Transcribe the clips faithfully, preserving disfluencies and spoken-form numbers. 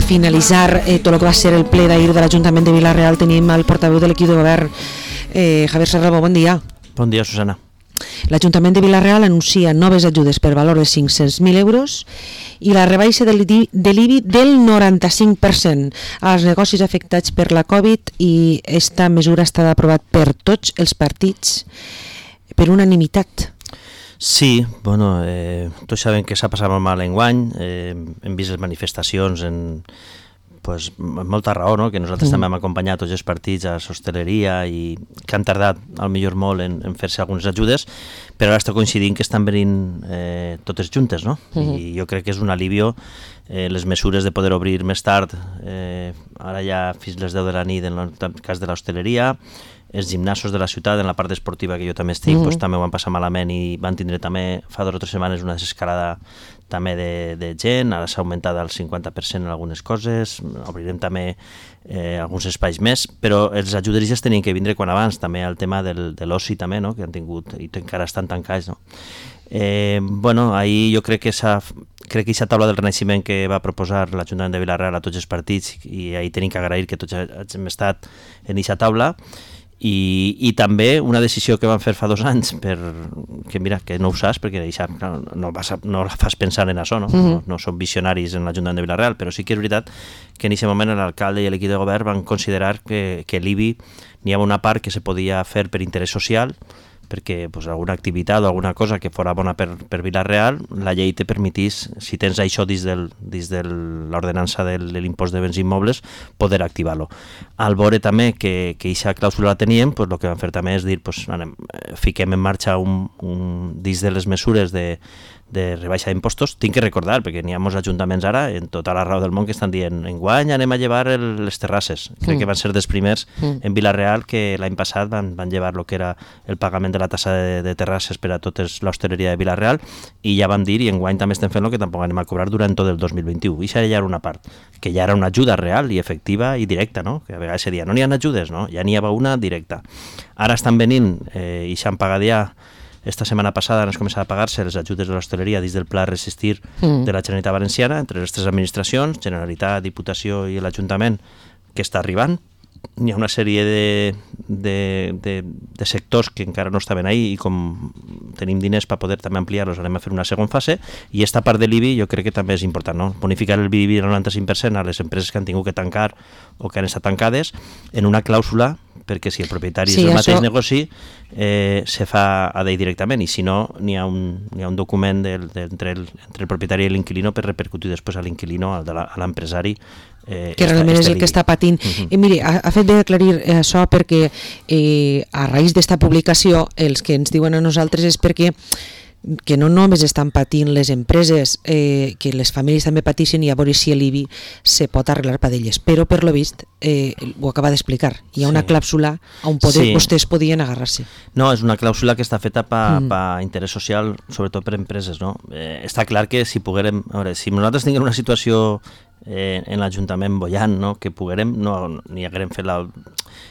finalitzar eh, tot el que va ser el ple d'ahir de l'Ajuntament de Vila-real, tenim el portaveu de l'equip de govern, eh, Javier Serrabo. Bon dia. Bon dia, Susana. L'Ajuntament de Vila-real anuncia noves ajudes per valor de cinc-cents mil euros i la rebaixa de l'I B I del noranta-cinc per cent als negocis afectats per la Covid, i esta mesura està aprovat per tots els partits per unanimitat. Sí, bueno, eh, tots sabem que s'ha passat molt mal enguany, eh, hem vist les manifestacions en... pues, molta raó, no? Que nosaltres mm. també hem acompanyat tots els partits a l'hostaleria i que han tardat al millor molt en, en fer-se algunes ajudes, però ara està coincidint que estan venint eh, totes juntes, no? Mm. I jo crec que és un alivio eh, les mesures de poder obrir més tard, eh, ara ja fins les deu de la nit en el cas de l'hostaleria, els gimnasos de la ciutat, en la part esportiva que jo també estic, mm. pues, també ho van passar malament i van tindre també fa dues o tres setmanes una desescalada també de, de gent, ara s'ha augmentat al cinquanta per cent en algunes coses, obrirem també eh, alguns espais més, però els ajuderistes tenien que vindre quan abans, també el tema del, de l'oci també, no? Que han tingut i encara estan tancats, no? Eh, bueno, ahir jo crec que s'ha crec que aquesta taula del Renaixement que va proposar l'Ajuntament de Vila-real a tots els partits, i ahir tenim que agrair que tots hem estat en aquesta taula. I, i també una decisió que van fer fa dos anys, per, que mira, que no ho saps, perquè això, no, no, vas a, no la fas pensar en això, no? Mm-hmm. no, no són visionaris en l'Ajuntament de Vila-real, però sí que és veritat que en aquest moment l'alcalde i l'equip de govern van considerar que, que l'I B I n'hi havia una part que se podia fer per interès social, perquè pues, alguna activitat o alguna cosa que fora bona per, per Vila-real, la llei te permetís, si tens això dins de dins de l'ordenança de l'impost de béns immobles, poder activar-lo. Al veure també que aquesta clàusula la teníem, pues, el que vam fer també és dir, pues, anem, fiquem en marxa un, un, dins de les mesures de, de rebaixa d'impostos. Tinc que recordar, perquè n'hi ha molts ajuntaments ara, en tota la raó del món, que estan dient enguany anem a llevar el, les terrasses. Crec mm. que van ser dels primers mm. en Vila-real que l'any passat van, van llevar el que era el pagament de la tassa de, de terrasses per a tota l'hostaleria de Vila-real, i ja vam dir, i enguany també estem fent el que tampoc anem a cobrar durant tot el dos mil vint-i-u. I això ja era una part, que ja era una ajuda real i efectiva i directa, no? Que a vegades se dia, no n'hi ha ajudes, no? Ja n'hi havia una directa. Ara estan venint, eh, i s'han pagat ja, esta setmana passada han començat a pagar-se les ajudes de l'hostaleria dins del Pla Resistir mm. de la Generalitat Valenciana, entre les tres administracions, Generalitat, Diputació i l'Ajuntament, que està arribant. Hi ha una sèrie de, de, de, de sectors que encara no estaven ahí, i com tenim diners per poder també ampliar-los, anem a fer una segona fase, i esta part de l'I B I jo crec que també és important, no? Bonificar el I B I del noranta-cinc per cent a les empreses que han tingut que tancar o que han estat tancades en una clàusula, perquè si el propietari sí, és el això... mateix negoci, eh, se fa a d'ell directament, i si no, n'hi ha un, n'hi ha un document de, de, entre, el, entre el propietari i l'inquilino per repercutir després a l'inquilino, a l'empresari. Eh, que realment és el que està patint. Uh-huh. I miri, ha, ha fet bé aclarir això, perquè eh, a raïs d'esta publicació els que ens diuen a nosaltres és perquè que no només estan patint les empreses, eh, que les famílies també pateixen, i a veure si l'I B I se pot arreglar per d'elles, però per lo vist eh, ho acaba d'explicar, hi ha sí. una clàusula on poder, sí. vostès podien agarrar-se. No, és una clàusula que està feta per mm. pa interès social, sobretot per empreses, no? Eh, està clar que si poguérem, a veure, si nosaltres tinguem una situació eh, en l'Ajuntament bollant, no? Que poguérem, no, ni haguérem fet la...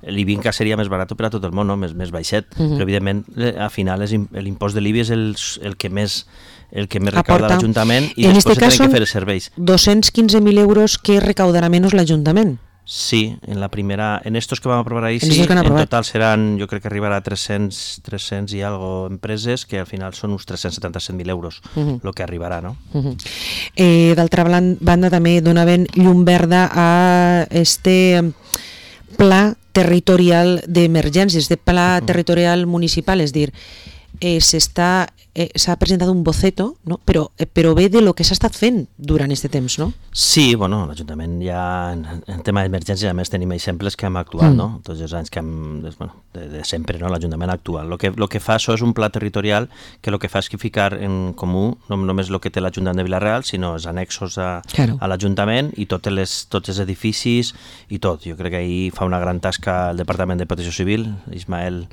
l'I B I encara seria més barat per a tot el món, no? més, més baixet, mm-hmm. però evidentment al final l'impost de l'I B I és el, el que més el que més recauda l'Ajuntament, i en després tenen que fer els serveis. doscientos quince mil euros que recaudarà menys l'Ajuntament. Sí, en la primera, en estos que vam aprovar ahir, sí, en total seran, jo crec que arribarà a tres-cents, tres-cents i algo empreses, que al final són uns tres-cents setanta-set mil euros, el uh-huh. lo que arribarà, no? Uh-huh. Eh, D'altra banda, també donaven llum verda a este pla territorial d'emergències, de pla uh-huh. territorial municipal, és dir, eh, s'està eh, s'ha presentat un boceto, no? però, eh, però ve de lo que s'ha estat fent durant aquest temps, no? Sí, bueno, l'Ajuntament ja en, en tema d'emergència a més tenim exemples que hem actuat, mm. no? Tots els anys que hem, bueno, de, de sempre, no? L'Ajuntament actual. Lo que, lo que fa això és un pla territorial que el que fa és que ficar en comú no només el que té l'Ajuntament de Vila-real, sinó els annexos a, claro. a l'Ajuntament i tots les, tots els edificis i tot. Jo crec que ahir fa una gran tasca el Departament de Protecció Civil, Ismael,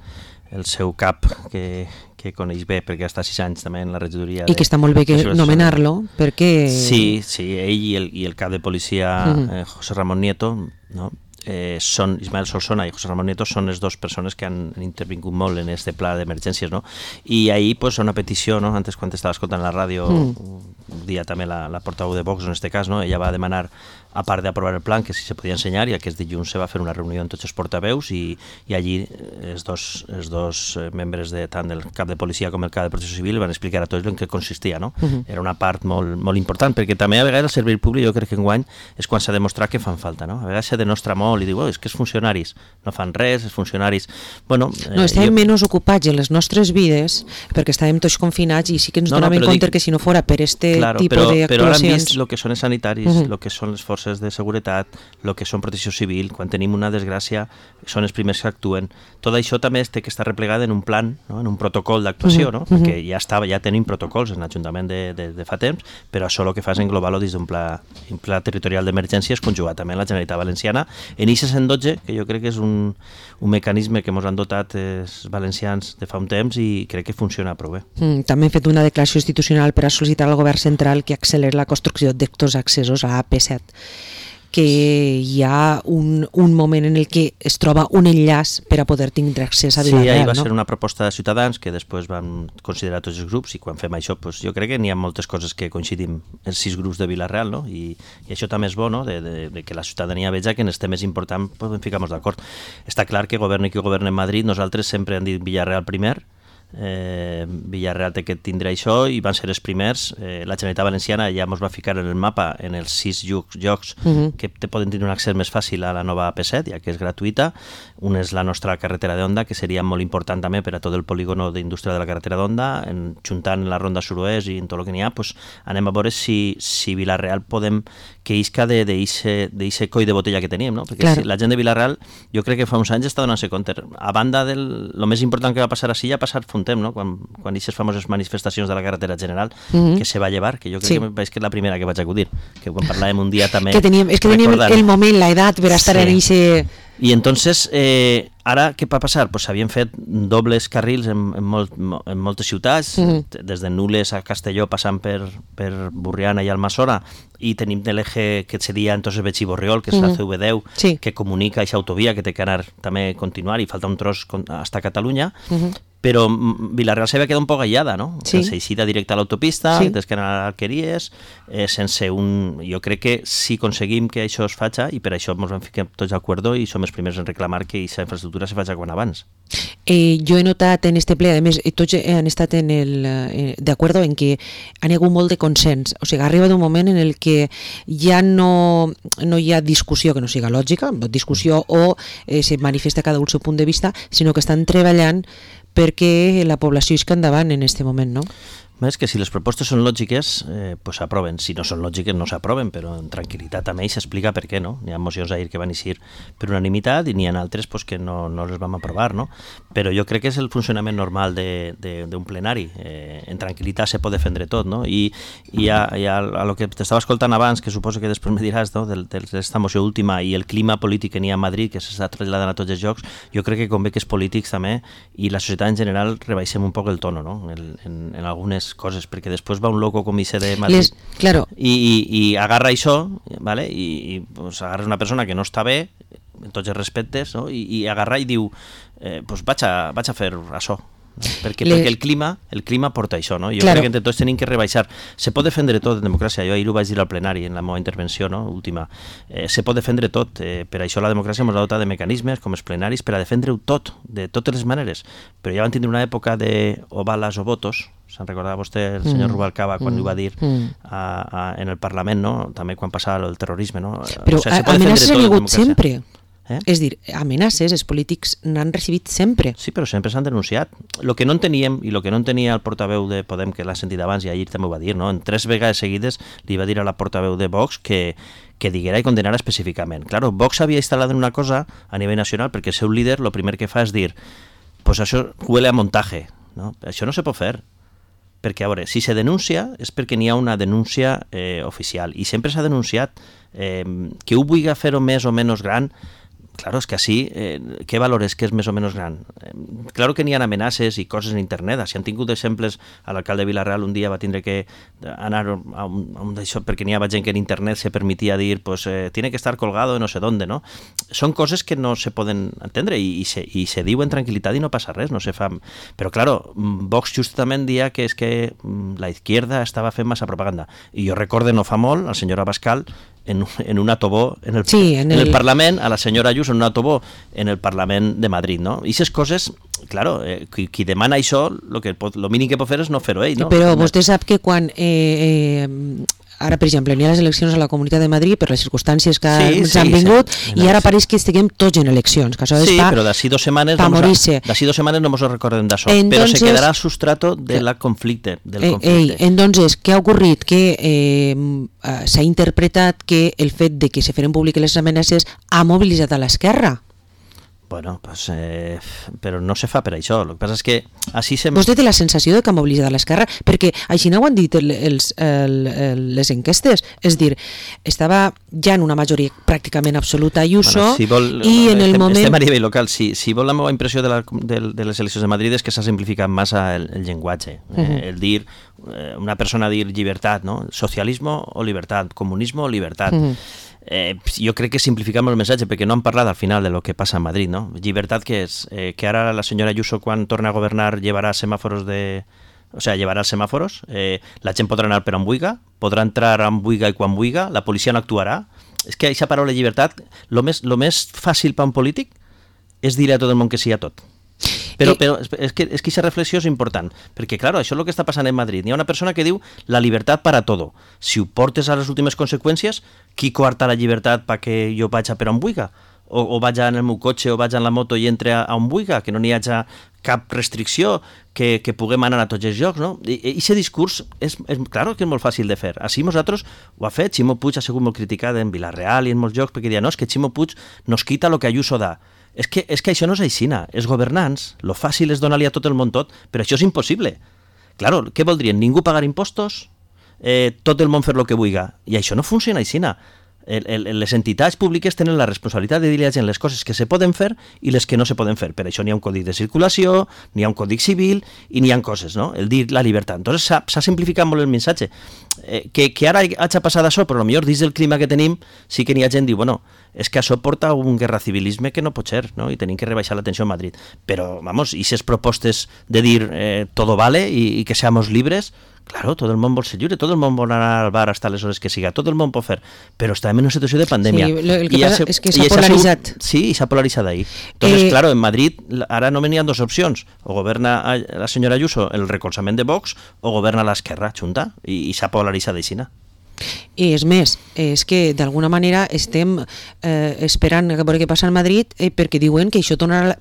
el seu cap, que, que coneix bé perquè està sis anys també en la regidoria. I que està molt bé que nomenar-lo, perquè... Sí, sí, ell i el, i el cap de policia, uh-huh. eh, José Ramón Nieto, no? eh, són, Ismael Solsona i José Ramón Nieto són les dues persones que han intervingut molt en este pla d'emergències, no? I ahir, pues, una petició, no? Antes quan estava escoltant la ràdio, mm. un dia també la, la portaveu de Vox, en este cas, no? Ella va demanar a part d'aprovar el plan, que si se podia ensenyar, i aquest dilluns se va fer una reunió amb tots els portaveus i, i allí els dos, els dos membres de, tant del cap de policia com el cap de protecció civil van explicar a tots en què consistia, no? Uh-huh. Era una part molt, molt important, perquè també a vegades el servei públic jo crec que enguany és quan s'ha demostrat que fan falta, no? A vegades se denostra molt i diu, oh, és que els funcionaris no fan res, els funcionaris... Bueno, no, estàvem eh, jo... menys ocupats en les nostres vides perquè estàvem tots confinats i sí que ens no, donàvem no, compte dic... que si no fora per este claro, tipus d'actuacions... Però ara hem vist el que són els sanitaris, el uh-huh. que són les forces de seguretat, el que són protecció civil, quan tenim una desgràcia són els primers que actuen. Tot això també té que estar replegat en un plan, no? En un protocol d'actuació, uh-huh. no? Perquè ja estava, ja tenim protocols en l'Ajuntament de, de, de fa temps, però això el que fa és englobar-lo dins d'un pla, un pla territorial d'emergències conjugat també amb la Generalitat Valenciana en I C cent dotze, que jo crec que és un, un mecanisme que ens han dotat els valencians de fa un temps i crec que funciona prou bé. Mm, també hem fet una declaració institucional per a sol·licitar al govern central que acceleri la construcció d'actors accessos a A P set, que hi ha un, un moment en el que es troba un enllaç per a poder tindre accés a Vila-real. Sí, ahir va no? ser una proposta de Ciutadans que després van considerar tots els grups i quan fem això pues, jo crec que n'hi ha moltes coses que coincidim els sis grups de Vila-real, no? I, i això també és bo, no? de, de, de que la ciutadania veja que en els temes importants podem ficar-nos d'acord. Està clar que governi qui governi en Madrid, nosaltres sempre hem dit Vila-real primer, Eh, Vila-real té que tindre això i van ser els primers. eh, la Generalitat Valenciana ja ens va ficar en el mapa en els sis llocs, llocs uh-huh. que te poden tenir un accés més fàcil a la nova A P set, ja que és gratuïta. Un és la nostra carretera d'Onda, que seria molt important també per a tot el polígono d'indústria de la carretera d'Onda, en, juntant la ronda suroest i en tot el que n'hi ha, pues, anem a veure si, si Vila-real podem que isca d'aquest coll de botella que teníem, no? Perquè claro. Si la gent de Vila-real jo crec que fa uns anys està donant-se compte, a banda del lo més important que va passar així, ja ha passat fa un temps, no? Quan, quan aquestes famoses manifestacions de la carretera general mm-hmm. que se va llevar, que jo crec sí. que és que la primera que vaig acudir, que quan parlàvem un dia també... Que teníem, és que teníem recordant. El moment, l'edat per estar sí. en ese... I entonces, eh, ara què va passar? Pues s'havien fet dobles carrils en, en, molt, en moltes ciutats, mm-hmm. des de Nules a Castelló, passant per, per Burriana i Almassora, i tenim l'eje que seria entonces Betxí-Borriol, que és mm-hmm. la C V deu, sí. que comunica aquesta autovia, que té que anar també continuar, i falta un tros hasta Catalunya, mm-hmm. però Vila-real s'havia quedat un poc aïllada, no? Sí. S'eixida directe a l'autopista, sí. des que eren a l'Alqueries, eh, sense un... Jo crec que si aconseguim que això es faci, i per això ens vam ficar tots d'acord i som els primers en reclamar que aquesta infraestructura se faci quan abans. Eh, jo he notat en este ple, a més, tots han estat en el, eh, d'acord en que han hagut molt de consens, o sigui, arriba d'un moment en el que ja no, no hi ha discussió que no siga lògica, discussió o eh, se manifesta cada un el seu punt de vista, sinó que estan treballant perquè la població isca endavant en aquest moment, no? És que si les propostes són lògiques, eh, pues s'aproven. Si no són lògiques, no s'aproven, però en tranquil·litat també s'explica per què, no? N'hi ha mocions ahir que van eixir per unanimitat i n'hi ha altres pues, que no, no les vam aprovar, no? Però jo crec que és el funcionament normal d'un plenari. Eh, en tranquil·litat se pot defendre tot, no? I, i a, i a, a lo que t'estava escoltant abans, que suposo que després me diràs, no? D'esta moció última i el clima polític que n'hi ha a Madrid, que s'està traslladant a tots els llocs, jo crec que convé que els polítics també i la societat en general rebaixem un poc el tono, no? En, en, en algunes coses, perquè després va un loco com I C de Madrid Les, claro. i, i, i agarra això, ¿vale? i, i pues, agarra una persona que no està bé en tots els respectes, no? I, i agarra i diu eh, pues vaig a, vaig a fer això, no? perquè, Les... perquè el clima el clima porta això, no? Jo claro. crec que entre tots tenim que rebaixar, se pot defendre tot en democràcia, jo ahir ho vaig dir al plenari en la meva intervenció, no? última, eh, se pot defendre tot, eh, per això la democràcia ens ha dotat de mecanismes com els plenaris per a defendre-ho tot, de totes les maneres, però ja van tindre una època de o balas o votos. Se'n recordava vostè el senyor mm. Rubalcaba quan mm. ho va dir mm. a, a, en el Parlament, no? També quan passava el terrorisme, no? Però o sigui, amenaces han hagut sempre. Eh? És dir, amenaces els polítics n'han recibit sempre. Sí, però sempre s'han denunciat. El que no enteníem i el que no entenia el portaveu de Podem, que l'ha sentit abans i ahir també ho va dir, no? En tres vegades seguides li va dir a la portaveu de Vox que que diguera i condenara específicament. Claro, Vox havia instal·lat en una cosa a nivell nacional perquè el seu líder el primer que fa és dir pues això huele a montaje, no? Això no se pot fer. Perquè, a veure, si se denuncia és perquè n'hi ha una denúncia eh, oficial i sempre s'ha denunciat eh, que ho vulgui fer-ho més o menys gran. Claro, és que així, eh, què valores que és més o menys gran? Eh, claro que n'hi ha amenaces i coses en internet. Si han tingut exemples, l'alcalde de Vila-real un dia va tindre que anar a un, a un d'això perquè n'hi havia gent que en internet se permetia dir pues, eh, tiene que estar colgado de no sé dónde, no? Són coses que no se poden entendre i, i, se, i se diu en tranquil·litat i no passa res, no se fa... Però, claro, Vox justament dia que és que la izquierda estava fent massa propaganda. I jo recorde no fa molt, el senyor Abascal en, en un autobó en el, sí, en, en el, el Parlament, a la senyora Ayuso en un autobó en el Parlament de Madrid, no? I aquestes coses, claro, eh, qui, qui demana això, lo, que pot, lo mínim que pot fer és no fer-ho ell, no? Però vostè sap que quan eh, eh, ara, per exemple, n'hi ha les eleccions a la Comunitat de Madrid per les circumstàncies que sí, ens sí, han vingut sí, i ara pareix que estiguem tots en eleccions, que això sí, és pa, però d'ací dos setmanes pa morir-se. D'ací dos setmanes no ens recordem d'això, però se quedarà al sustrato de la conflicte, del conflicte. Eh, eh, entonces, què ha ocorrit? Que eh, s'ha interpretat que el fet de que se feren públiques les amenaces ha mobilitzat a l'esquerra. Bueno, pues, eh, però no se fa per això. El que passa és que així se... Vostè té la sensació de que ha mobilitzat a l'esquerra? Perquè així no ho han dit el, els, el, el, les enquestes. És dir, estava ja en una majoria pràcticament absoluta Ayuso, bueno, si vol, i en el estem, moment... Estem a nivell local. Si, si vol la meva impressió de, la, de, de les eleccions de Madrid és que s'ha simplificat massa el, el llenguatge. Uh -huh. eh, el dir, eh, una persona dir llibertat, no? Socialismo o libertad, comunismo o libertad. Uh -huh. Eh, jo crec que simplificam el missatge perquè no han parlat al final de lo que passa a Madrid, no? Llibertat que és eh, que ara la senyora Ayuso quan torna a governar llevarà semàforos de... O sea, llevarà els semàforos, eh, la gent podrà anar per on vulga, podrà entrar on vulga i quan vulga, la policia no actuarà. És que aquesta paraula llibertat, lo més, lo més fàcil per un polític és dir a tot el món que sí a tot. Però, però és que és que aquesta reflexió és important, perquè, clar, això és el que està passant en Madrid. Hi ha una persona que diu la llibertat para todo. Si ho portes a les últimes conseqüències, qui coarta la llibertat perquè jo vaig a per on vulga? O, o vaig en el meu cotxe o vaig en la moto i entre a, a on vulga, que no n'hi hagi cap restricció, que, que puguem anar a tots els llocs, no? I aquest discurs, és, és clar que és molt fàcil de fer. Així nosaltres ho ha fet, Ximo Puig ha sigut molt criticat en Vila-real i en molts llocs, perquè diuen, no, és que Ximo Puig nos quita lo que Ayuso da. És que, és que això no és aixina. Els governants, lo fàcil és donar-li a tot el món tot, però això és impossible. Claro, què voldrien? Ningú pagar impostos? Eh, tot el món fer lo que vulga. I això no funciona aixina. El, el, les entitats públiques tenen la responsabilitat de dir a la gent les coses que se poden fer i les que no se poden fer. Per això n'hi ha un codi de circulació, n'hi ha un codi civil i n'hi ha coses, no? El dir la llibertat. Entonces s'ha simplificat molt el missatge. Eh, que, que ara hagi passat això, però potser dins del clima que tenim sí que n'hi ha gent que diu, bueno, és que això porta a un guerracivilisme que no pot ser, no? I tenim que rebaixar la tensió a Madrid. Però, vamos, i aquestes propostes de dir eh, todo vale i, i que seamos libres, claro, tot el món vol ser lliure, tot el món vol anar al bar hasta les hores que siga, tot el món pot fer, però estem en una situació de pandèmia. Sí, el que I passa se, és que s'ha polaritzat. Sigut, sí, s'ha polaritzat ahí. Entonces, eh, claro, en Madrid ara només n'hi ha dues opcions, o governa la senyora Ayuso el recolzament de Vox o governa l'esquerra junta, i, i s'ha polaritzat aixina. I és més, és que d'alguna manera estem eh, esperant a veure què passa a Madrid eh, perquè diuen que això tornarà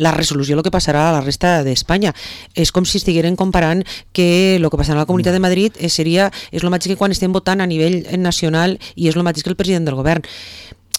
la resolució el que passarà a la resta d'Espanya. És com si estigueren comparant que el que passarà a la Comunitat de Madrid seria, és el mateix que quan estem votant a nivell nacional i és el mateix que el president del govern.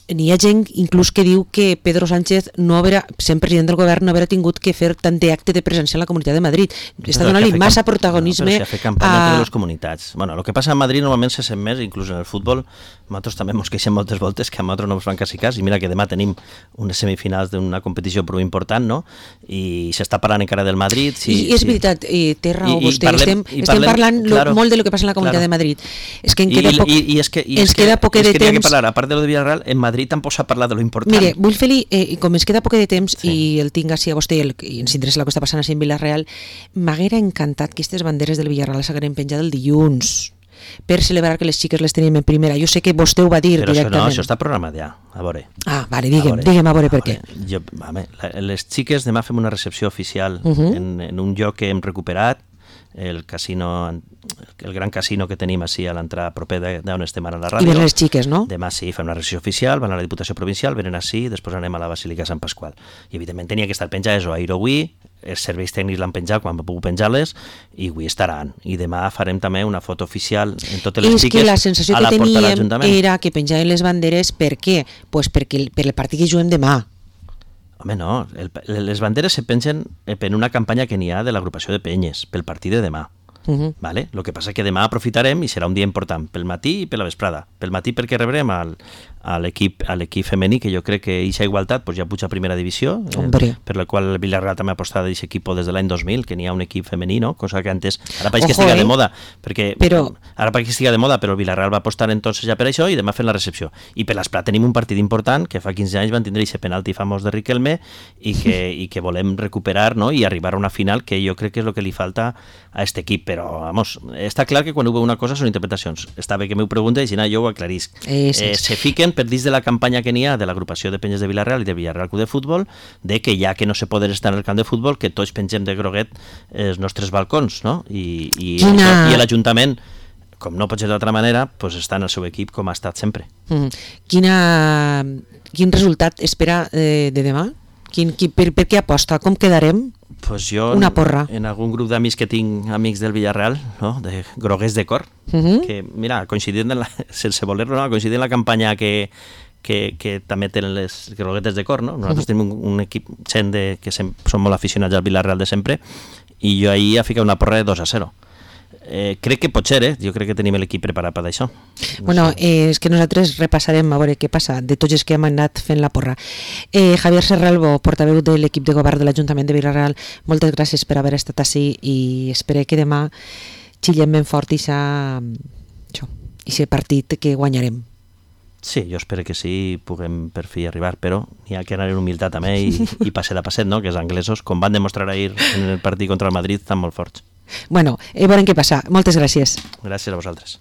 N'hi ha gent inclús que diu que Pedro Sánchez, no haurà, sent president del govern, no haurà tingut que fer tant d'acte de presència en la Comunitat de Madrid. Està donant-li massa camp... protagonisme no, però si ha fet campanya a les comunitats. Bueno, el que passa a Madrid normalment se sent més, inclús en el futbol. Nosaltres també ens queixem moltes voltes que a nosaltres no ens fan quasi cas, i mira que demà tenim unes semifinals d'una competició prou important, no? I s'està parlant encara del Madrid. Sí, I és sí. veritat, eh, té raó I, vostè, i parlem, estem, i estem parlem, parlant claro, lo, molt de lo que passa en la Comunitat claro. de Madrid. És que en queda I, poc, i, i és que, i ens és queda que, poc de és que temps. Que parlar, a part de lo de Villarreal, en Madrid tampoc s'ha parlat de lo important. Mire, vull fer-li, eh, com ens queda poc de temps sí. i el tinc així a vostè el, i ens interessa el que està passant així en Villarreal, m'haguera encantat que aquestes banderes del Villarreal s'hagueren penjat el dilluns per celebrar que les xiques les tenim en primera. Jo sé que vostè ho va dir però directament. Però això no, això està programat ja, a veure. Ah, vale, digue'm, digue'm a veure per què. Jo, home, les xiques demà fem una recepció oficial uh -huh. en, en un lloc que hem recuperat, el casino, el gran casino que tenim així a l'entrada propera d'on estem ara a la ràdio. I venen les xiques, no? Demà sí, fem una recepció oficial, van a la Diputació Provincial, venen així, després anem a la Basílica Sant Pasqual. I evidentment tenia que estar penjades o ahir o avui, els serveis tècnics l'han penjat quan va poder penjar-les, i avui estaran. I demà farem també una foto oficial en totes les xiques a la porta de l'Ajuntament. És que la sensació que teníem era que penjaven les banderes, per què? Pues perquè per el partit que juguem demà. Home, no, el, les banderes se pengen per una campanya que n'hi ha de l'agrupació de penyes, pel partit de demà. Uh -huh. Vale? Lo que passa és que demà aprofitarem i serà un dia important, pel matí i per la vesprada. Pel matí perquè rebrem al, a l'equip a l'equip femení, que jo crec que aquesta igualtat pues, ja puja a primera divisió, eh, per la qual el Villarreal també ha apostat d'aquest equip des de l'any dos mil, que n'hi ha un equip femení, no? Cosa que antes, ara pareix que estiga eh? de moda, perquè però... ara pareix que estiga de moda, però el Villarreal va apostar entonces ja per això i demà fent la recepció. I per l'Esplat tenim un partit important, que fa quinze anys van tindre aquest penalti famós de Riquelme i que, i que volem recuperar, no? I arribar a una final que jo crec que és el que li falta a aquest equip, però, vamos, està clar que quan ho veu una cosa són interpretacions. Està bé que m'ho pregunta i si no, jo ho aclarisc. Eh, sí. eh, se fiquen per dins de la campanya que n'hi ha de l'agrupació de penyes de Villarreal i de Villarreal Club de Futbol, de que ja que no se poden estar en el camp de futbol, que tots pengem de groguet els nostres balcons, no? I, i, Quina... i l'Ajuntament, com no pot ser d'altra manera, pues està en el seu equip com ha estat sempre. Mm. Quina... Quin resultat espera eh, de demà? Quin, qui, per, per què aposta? Com quedarem? Pues jo, una porra. En, en algun grup d'amics que tinc, amics del Villarreal, no? De groguers de cor, uh -huh. que, mira, coincidint en la, sense voler-lo, no? coincidint en la campanya que, que, que també tenen les groguetes de cor, no? Nosaltres uh -huh. tenim un, un equip gent de, que sem, són molt aficionats al Villarreal de sempre, i jo ahir he ficat una porra de dos a zero. Eh, crec que pot ser, eh? Jo crec que tenim l'equip preparat per això. No bueno, sé. eh, és que nosaltres repassarem a veure què passa de tots els que hem anat fent la porra. Eh, Javier Serralbo, portaveu de l'equip de govern de l'Ajuntament de Villarreal, moltes gràcies per haver estat ací i espero que demà xillem ben fort i aquest partit que guanyarem. Sí, jo espero que sí, puguem per fi arribar, però hi ha que anar en humilitat també i, i passet a passet, no? Que els anglesos, com van demostrar ahir en el partit contra el Madrid, estan molt forts. Bueno, eh, veurem què passa. Moltes gràcies. Gràcies a vosaltres.